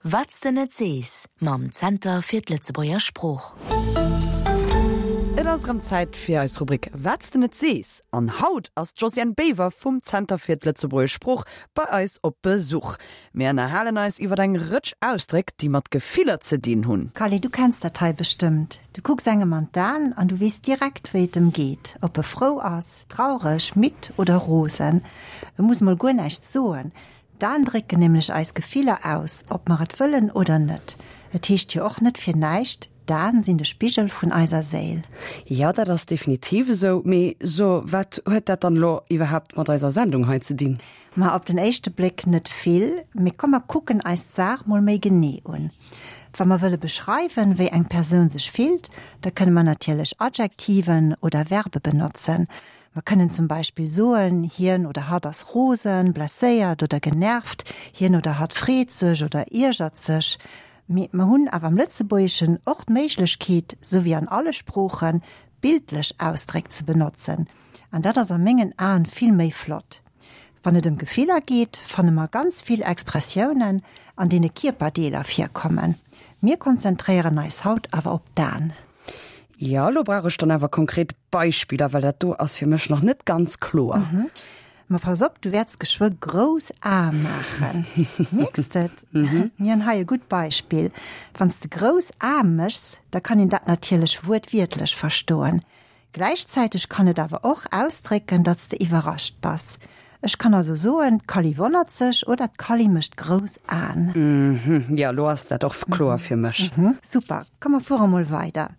Wat s de net sees mam Zenter fir d'Lëtzebuerger Sprooch. Et ass erëm Zäit fir eis Rubrik Wat s de net sees an haut ass d'Josiane Boever vum Zenter fir d'Lëtzebuergesch Sprooch bei eis op Besuch. Mir ënnerhalen eis iwwer eng Rëtsch Ausdréck, déi mat Gefiller ze dinn hunn. Kally, du kenns dat hei bestëmmt. Du kucks engem an d'Aen an du weess direkt, wéi et em geet, ob e frou ass, traureg, midd oder rosen. E muss mol guer näischt soen, D'Aen drécken nämlech eis Gefiller aus, ob mer et wëllen oder net. Et heescht jo och net fir näischt, d'Aen sinn de Spigel vun eiser Séil. Jo, dat ass definitiv esou. Mee so, wat huet dat dann elo iwwerhaapt mat eiser Sendung hei ze dinn? Ma op den éischte Bléck net vill. Mee komm mer kucken eis d'Saach mol méi genee un. Wa mer wëlle beschreiwen, wéi eng Persoun sech fillt, da kënne mer natierlech Adjektiven oder Verbe benotzen. Mer kënnen zum Beispill soen, hien oder hatt ass rosen, blesséiert oder genervt, hien oder hatt freet sech oder iergert sech. Mee mer hunn awer am Lëtzebuergeschen och d'Méiglechkeet, sou wéi an alle Sproochen, bildlech Ausdréck ze benotzen. An dat ass a mengen Aen vill méi flott. Wann et ëm Gefiller geet, fanne mer ganz vill Expressiounen, an deene Kierperdeeler virkommen. Mir konzentréieren eis haut awer op d'Aen. Jo, elo brauch ech dann awer konkret Beispiller, well dat do ass fir mech nach net ganz kloer. Ma pass op, du wäerts geschwë grouss Ae maachen. Mierks de et? Mir hunn hei e gutt Beispill. Wann s de grouss Ae méchs, da kann een dat natierlech wuertwiertlech verstoen. Gläichzäiteg kann et awer och ausdrécken, datt s de iwwerrascht bass. Ech kann also soen, d'Kally wonnert sech oder d'Kally mécht grouss Aen. Mhm, jo, elo ass dat och kloer fir mech. Super, komm mer fuere mol weider.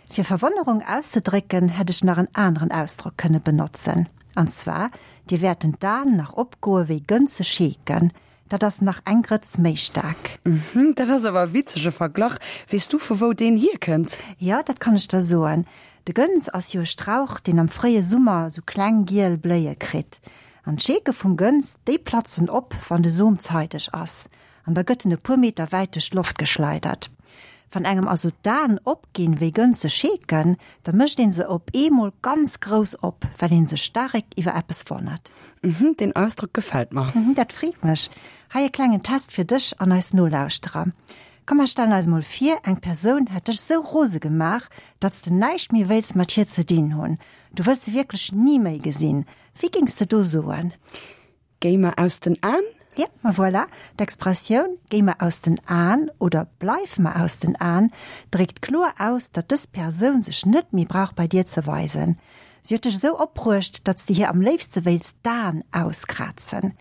Fir Verwonnerung auszedrécken, hätt ech nach en aneren Ausdrock kënne benotzen. An zwar, Dir wäerten d'Aen nach opgoe wéi gënze Scheeken. Dat ass nach eng Grëtz méi staark. Mhm, dat ass awer e witzege Verglach. Weess du, vu wou deen hierkënnt? Jo, dat kann ech der soen. De Gënz ass jo e Strauch, deen am fréie Summer sou kleng giel Bléie kritt. An d'Scheeke vum Gënz, déi platzen op, wann de Som zeideg ass. An da gëtt en e puer Meter wäit duerch d'Loft geschleidert. Wann engem also d'Aen opginn wéi gënze Scheeken, da mécht een se op eemol ganz grouss op, well een sech staark iwwer eppes wonnert. Mhm, deen Ausdrock gefält mer. Mhm, dat freet mech. Hei e klengen Test fir dech an eis Nolauschterer. Komm mer stellen eis mol vir, eng Persoun hätt dech sou rose gemaach, datt s de näischt méi wéils mat hir ze dinn hunn. Du wëlls se wierklech ni méi gesinn. Wéi géings de do soen? Géi mer aus den Aen? Jo, ma voilà, d'Expressioun Géi mer aus den Aen oder Bleif mer aus den Aen dréckt kloer aus, datt dës Persoun sech net méi brauch bei dir ze weisen. Si huet dech esou opbruecht, datt s de hir am léifste wéils d'Aen auskrazen.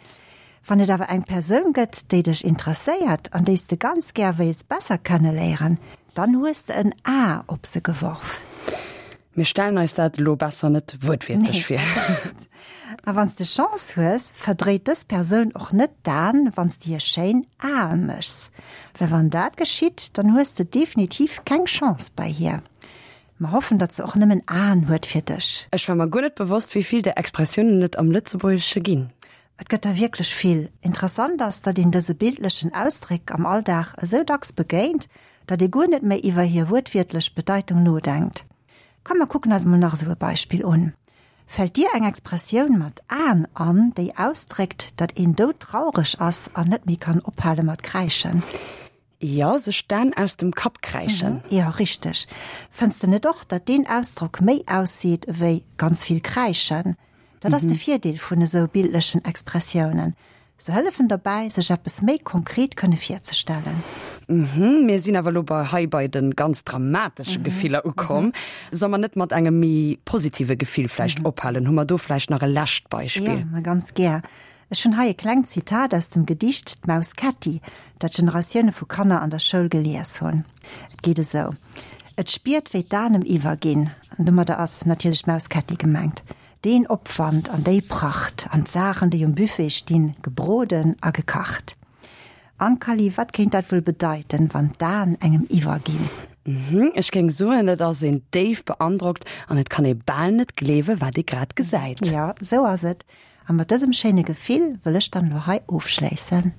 Wann et awer eng Persoun gëtt, déi dech interesséiert an déi s de ganz gär wéils besser kenneléieren, dann hues de en A op se geworf. Mir stellen eis dat elo besser net wuertwiertlech vir. A wann s de Chance hues, verdréit dës Persoun och net d'Aen, wann s de hir schéin Ae méchs. Well wann dat geschitt, dann hues de definitiv keng Chance bei hir. Mer hoffen, datt se och nëmmen Aen huet fir dech. Ech war mer guer net bewosst, wéi vill där Expressiounen et am Lëtzebuergesche ginn. Et gëtt der wierklech vill. Interessant ass, datt een dëse bildlechen Ausdréck am Alldag esou dacks begéint, datt ee guer net méi iwwer hir wuertwiertlech Bedeitung nodenkt. Komm mer kucken eis mol nach esou e Beispill un. Fält dir eng Expressioun mat Aen an, déi ausdréckt, datt een doudtraureg ass an net méi kann ophale mat kräischen? Jo, sech d'Aen aus dem Kapp kräischen. Jo, richteg. Fënns de net och, datt deen Ausdrock méi ausseet ewéi ganz vill kräischen? Dat ass de Virdeel vun esou bildlechen Expressiounen, Se hëllefen derbäi, sech eppes méi konkret kënne virzestellen. Mhm, mir sinn awer elo bei hei bei de ganz dramatesche Gefiller ukomm. Soll mer net mat engem méi positive Gefill vläicht ophalen? Hu mer do vläicht nach e lescht Beispill? Jo, ma ganz gär. Ech hunn hei e klengt Zitat aus dem Gedicht D'Maus Ketti, dat Generatioune vu Kanner an der Schoul gelies hunn. Et geet esou, Et spiert, wéi d'Aen em iwwerginn, an domadder ass natierlech d'Maus Ketti gemengt, deen Opwand an déi Pracht an d'Saachen, déi um Buffet stinn, gebroden a gekacht. Ankali, wat kéint dat wuel bedeiten, wann d'Aen engem iwwerginn? Mhm, ech géing soen, et ass een déif beandrockt an et kann ee bal net gleewen, wat ee grad gesäit. Jo, esou ass et. A mat dësem schéine Gefill wëll ech dann elo hei ofschléissen.